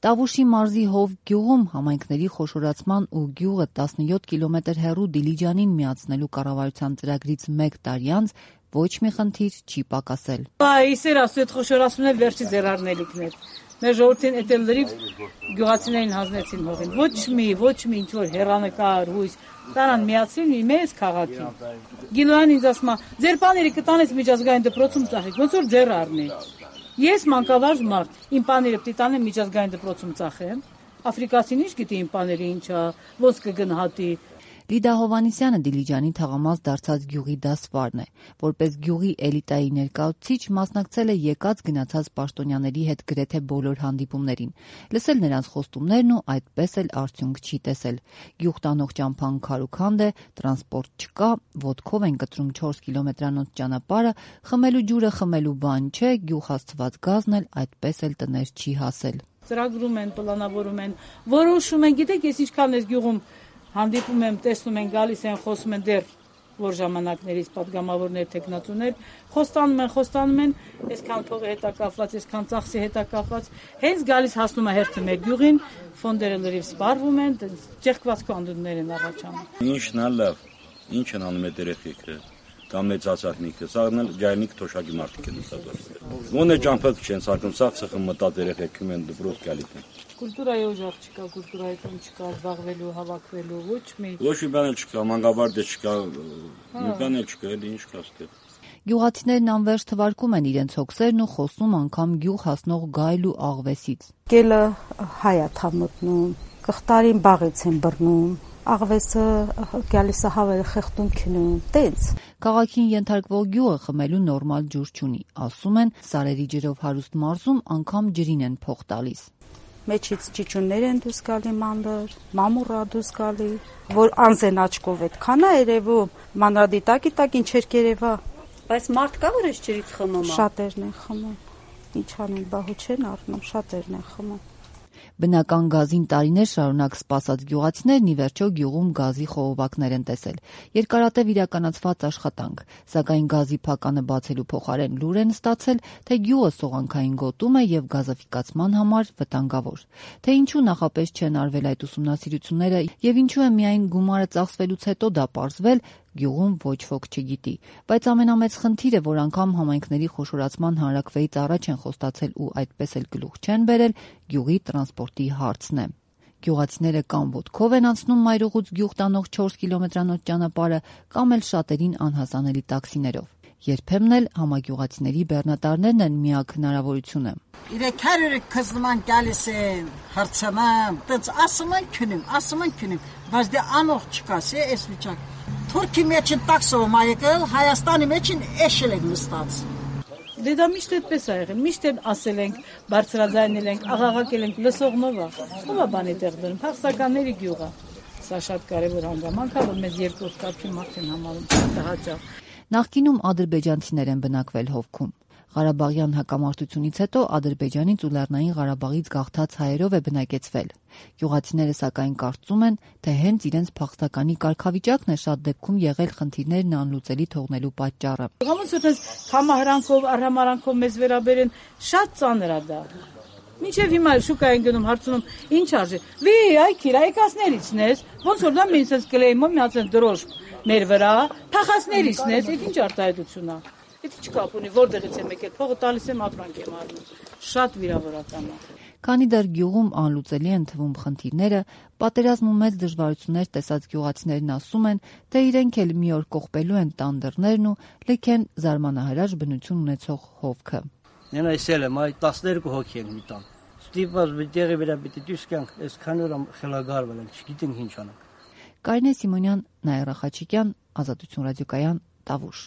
Տավուշի մարզի Հով գյուղում համայնքների խոշորացման ու գյուղը 17 կիլոմետր հեռու Դիլիջանին միացնելու կառավարության ծրագրից 1 տարի անց ոչ մի խնդիր չի պակասել։ Իսեր ասու այդ խոշորացումն էլ վերջի ձեռարնելիքն էր։ Մեր ժողովրդին էդ էլ լրիվ գյուղացիներին հանձնեցին հողին։ Ոչ մի ինչ որ հեռանկար հույս տարան միացին մի մեծ քաղաքի։ Գիլոյան ինձ ասում է, ձեր պաները կտանես միջազգային դպրոցում ծախեք, ոնց որ ձեռ առնի։ Ես մանկավարժ մարդ, իմ պաները պիտի տանեմ միջազգային դպրոցում ծախեմ։ Աֆրիկացին ինչ գիտի իմ պաները ինչա, ոնց կգնահատի։ Լիդա Հովանիսյանը Դիլիջանի թաղամաս դարձած գյուղի դասվարն է, որպես գյուղի էլիտայի ներկայացուցիչ մասնակցել է եկած-գնացած պաշտոնյաների հետ գրեթե բոլոր հանդիպումներին, լսել նրանց խոստումներն ու այդպես էլ արդյունք չի տեսել։ Գյուղ տանող ճամփան քարուքանդ է, տրանսպորտ չկա, ոտքով են կտրում 4 կիլոմետրանոց ճանապարհը, խմելու ջուրը խմելու բան չէ, գյուղ հասցված գազն էլ այդպես էլ տներ չի հասել։ Ծրագրում են, պլանավորում են, որոշում են, գիտեք, ես ինչքան ես գյուղում հանդիպում եմ, տեսնում են, գալիս են, խոսում են դեռ որ ժամանակներից պատգամավորներ, տեխնացուներ, խոստանում են, այսքան փողի հետ է կապված, այսքան ծախսի հետ է կապված, հենց գալիս հասնում է հերթը մեր գյուղին, ֆոնդերը լրիվ սպառվում են, ճեղքված կանդուններ են առաջանում։ Ինչն է լավ, ինչ են անում այդ երեխեքը, կամ մեծ ասակնիկը, սաղն էլ ջայնիկ թոշակի մարդիկ են ստացել։ Ոնե ճամփակ չեն սարկում, սաղ ծխը մտած երեխեքում են դպրոց գալիս են։ Կուլտուրայի օժախ չկա, կուլտուրայի տոն չկա, զբաղվելու, հավաքվելու, ոչ մի բան չկա, մանկավարժ չկա, մի բան չկա, էլի ինչ կա ստեղ։ Գյուղացիներն անվերջ թվարկում են իրենց հոգսերն ու խոսում անգամ գյուղ հասնող գայլ ու աղվեսից։ Գելը հայ է թամոտնում, կղտարին բաղից են բռնում, աղվեսը գալիս է հավերը խեղդում քնում, տենց։ Քաղաքին ենթարկվող գյուղը խմելու նորմալ ջուր չունի, ասում են, սարերի ջրով հարուստ մարզում անգամ ջրին են փող տալիս։ Մեջից ճիճուններ են դուրս գալի մանր, մամուռա դուրս գալի, որ անզեն աչքով այդքան է երևում, մանրադիտակի տակ ինչեր կերևա։ Բայց մարդ կա որ այս ջրից խմում է։ Շատերն են խմում։ Ինչ անեն, բահու չեն առնում, շատերն են խմում։ Բնական գազին տարիներ շարունակ սպասած գյուղացիներն ի վերջո գյուղում գազի խողովակներ են տեսել։ Երկարատև իրականացված աշխատանք, սակայն գազի փականը բացելու փոխարեն լուր են ստացել, թե գյուղը սողանքային գոտում է եւ գազաֆիկացման համար վտանգավոր։ Թե ինչու նախապես չեն արվել այդ ուսումնասիրությունները եւ ինչու է միայն գումարը ծախսվելուց հետո դա պարզվել, գյուղում ոչ ոք չգիտի, բայց ամենամեծ խնդիրը, որ անգամ համայնքների խոշորացման հանրակրվեից առաջ են խոստացել ու այդպես էլ գլուխ չեն բերել, գյուղի տրանսպորտի հարցն է։ Գյուղացիները կամ ոտքով են անցնում մայրուղուց գյուղ տանող 4 կիլոմետրանոց ճանապարհը, կամ էլ շատերին անհասանելի տաքսիներով։ Երբեմն էլ համագյուղացիների բեռնատարներն են միակ հնարավորությունը։ Իրեք հարյուրը կզնման գալիս են, հրցանամ, տենց ասում են քնում, բայց դե անող չկասի այս վիճակ։ Թուրքի մեջ են տաքսով եկել, Հայաստանի մեջ են էշել են նստած։ Դե դա միշտ այդպես է եղել, միշտ են ասել ենք, բարձրաձայնել ենք, աղաղակել ենք, լսողնով է։ Ո՞վ է բանի տեղ դրում, փախստականների գյուղ է։ Սա շատ կարևոր հանգամանք է, որ մեզ երկրորդ կարգի մարդ են համարում հաճախ։ Նախկինում ադրբեջանցիներ են բնակվել Հովքում։ Ղարաբաղյան հակամարտությունից հետո Ադրբեջանից ու Լեռնային Ղարաբաղից գաղթած հայերով է բնակեցվել։ Գյուղացիները սակայն կարծում են, թե հենց իրենց փախստականի կարգավիճակն է շատ դեպքում եղել խնդիրներն անլուծելի թողնելու պատճառը։ Ոնց որ համահրանքով, արհամարանքով մեզ վերաբերեն, շատ ծանր է դա։ Մինչև հիմա շուկա են գնում, հարցնում, ինչ արժի։ Վի, այ քիրայկասներիցն ես, ոնց որ դա մինչ ես կլեյմով միացած դրոշ մեր վրա, փախածներիցն ես, այդ ինչ արտահայտություն է։ Եթե չկապ ունի, որտեղից եմ եկել, փողը տալիս եմ, ապրանք եմ առնում։ Շատ վիրավորական է։ Քանի դեռ գյուղում անլուծելի են թվում խնդիրները, պատերազմում մեծ դժվարություններ տեսած գյուղացիներն ասում են, թե իրենք էլ մի օր կողպելու են տան դռներն ու լքեն զարմանահրաշ բնություն ունեցող Հովքը։ Նենա իսել եմ, այ 12 հոգի են մի տան։ Ստիպված բիտեղի վրա պիտի դուրս գանք, այսքան օր խելագարվել են, չգիտենք ինչ անենք։ Կարինե Սիմոնյան, Նաիրա Խաչիկյան, Ազատություն ռադիոկայան, Տավուշ։